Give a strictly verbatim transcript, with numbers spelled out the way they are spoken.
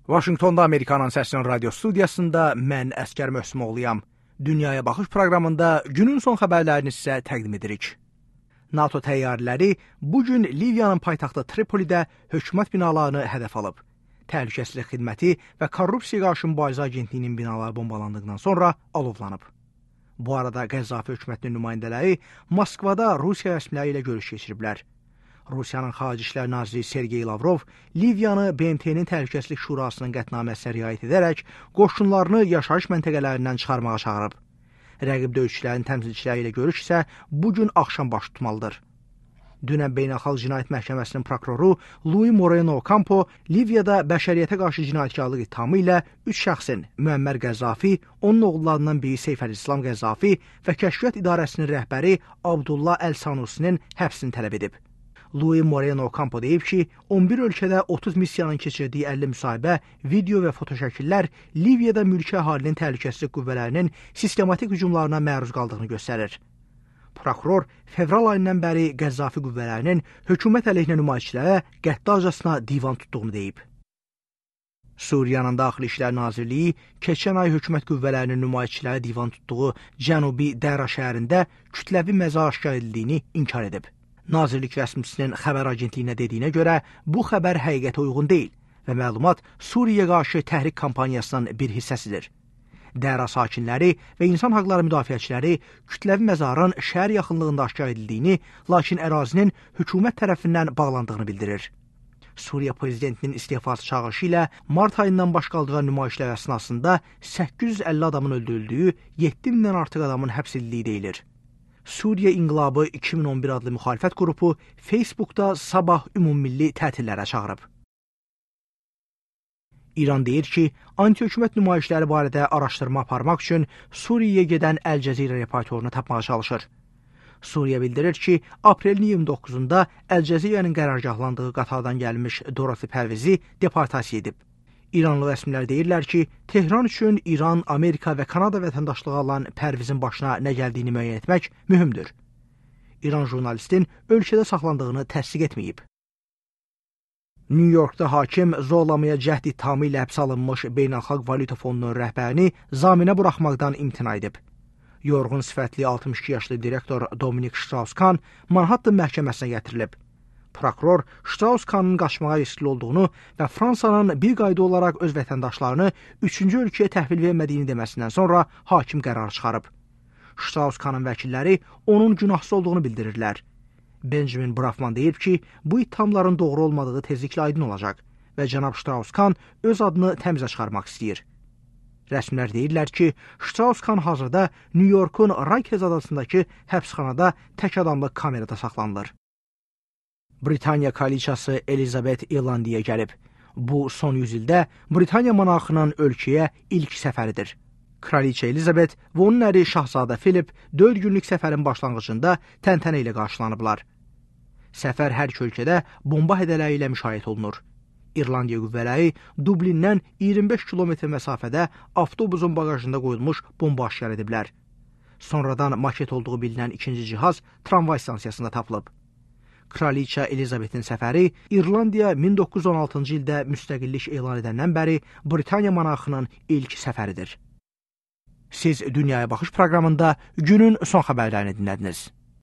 Vaşinqtonda Amerikanın Səsinin radio studiyasında mən Əskər Möhsümoğluyam. Dünyaya Baxış proqramında günün son xəbərlərini sizə təqdim edirik. NATO təyyarələri bugün Liviyanın paytaxtı Tripolidə hökumət binalarını hədəf alıb. Təhlükəsizlik xidməti və korrupsiya qarşı mübarizə agentliyinin binaları bombalandıqdan sonra alovlanıb. Bu arada Qəzzafi hökumətinin nümayəndələri Moskvada Rusiya rəsmiləri ilə görüş keçiriblər. Rusiyanın Xarici İşlər Naziri Sergey Lavrov Liviyanı B M T-nin Təhlükəsizlik Şurasının qətnaməsinə riayət edərək qoşunlarını yaşayış məntəqələrindən çıxarmağa çağırıb. Rəqib döyüşçülərin təmsilçiləri ilə görüş isə bugün axşam baş tutmalıdır. Dünən Beynəlxalq Cinayət Məhkəməsinin prokuroru Luis Moreno Ocampo Liviyada bəşəriyyətə qarşı cinayətkarlıq ittihamı ilə üç şəxsin Müəmmər Qəzzafi, onun oğullarından biri Seyf Əl-İslam Qəzzafi və Kəşfiyyat İdarəsinin rəhbəri Abdullah Əl-Sanusinin həbsini tələb edib. Luis Moreno Ocampo deyib ki, on bir ölkədə otuz missiyanın keçirdiyi əlli müsahibə, video və fotoşəkillər Liviyada mülki əhalinin təhlükəsizlik qüvvələrinin sistematik hücumlarına məruz qaldığını göstərir. Prokuror fevral ayından bəri Qəzzafi qüvvələrinin hökumət əleyhinə nümayişçilərə qəddarcasına divan tutduğunu deyib. Suriyanın Daxili İşlər Nazirliyi keçən ay hökumət qüvvələrinin nümayişçilərə divan tutduğu Cənubi Dəra şəhərində kütləvi məzar aşkar edildiyini inkar edib. Nazirlik rəsmisinin xəbər agentliyinə dediyinə görə bu xəbər həqiqətə uyğun deyil və məlumat Suriyaya qarşı təhrik kampaniyasının bir hissəsidir. Dəra sakinləri və insan haqları müdafiəçiləri kütləvi məzarın şəhər yaxınlığında aşkar edildiyini, lakin ərazinin hökumət tərəfindən bağlandığını bildirir. Suriya prezidentinin istefası çağırışı ilə mart ayından baş qaldıran nümayişlər əsnasında səkkiz yüz əlli adamın öldürüldüyü, yeddi mindən artıq adamın həbs edildiyi deyilir. Suriya İnqilabı iki min on bir adlı müxalifət qrupu Facebookda sabah ümummilli tətillərə çağırıb. İran deyir ki, anti-hökumət nümayişləri barədə araşdırma aparmaq üçün Suriyaya gedən Əl-Cəzirə reportorunu tapmağa çalışır. Suriya bildirir ki, aprelin iyirmi doqquzunda Əl-Cəzirənin qərargahlandığı qatardan gəlmiş Dorothy Pərvizi deportasiya edib. İranlı rəsmilər deyirlər ki, Tehran üçün İran, Amerika və Kanada vətəndaşlığı alan Pərvizin başına nə gəldiyini müəyyən etmək mühümdür. İran jurnalistin ölkədə saxlandığını təsdiq etməyib. New Yorkda hakim zorlamaya cəhd ittihamı ilə həbs alınmış Beynəlxalq Valyuta Fondunun rəhbərini zaminə buraxmaqdan imtina edib. Yorğun sifətli altmış iki yaşlı direktor Dominik Strauss-Kahn Manhattan məhkəməsinə gətirilib. Prokuror Strauss-Kahnın qaçmağa riskli olduğunu və Fransanın bir qayda olaraq öz vətəndaşlarını üçüncü ölkəyə təhvil vermədiyini deməsindən sonra hakim qərar çıxarıb. Strauss-Kahnın vəkilləri onun günahsız olduğunu bildirirlər. Benjamin Brafman deyib ki, bu ittihamların doğru olmadığı tezliklə aydın olacaq və cənab Strauss-Kahn öz adını təmizə çıxarmaq istəyir. Rəsmilər deyirlər ki, Strauss-Kahn hazırda New Yorkun Rikers adasındakı həbsxanada tək adamlı kamerada saxlanılır. Britaniya kraliçası Elizabeth İrlandiyaya gəlib. Bu, son yüz ildə Britaniya monarxının ölkəyə ilk səfəridir. Kraliçə Elizabeth və onun əri Şahzadə Philip dörd günlük səfərin başlanğıcında təntənə ilə qarşılanıblar. Səfər hər iki ölkədə bomba hədələri ilə müşayiət olunur. İrlandiya qüvvələri Dublindən iyirmi beş kilometr məsafədə avtobusun bagajında qoyulmuş bomba aşkar ediblər. Sonradan maket olduğu bilinən ikinci cihaz tramvay stansiyasında tapılıb. Kraliçə Elizabethin səfəri İrlandiya min doqquz yüz on altıncı ildə müstəqillik elan edəndən bəri Britaniya monarxının ilk səfəridir. Siz Dünyaya Baxış proqramında günün son xəbərlərini dinlədiniz.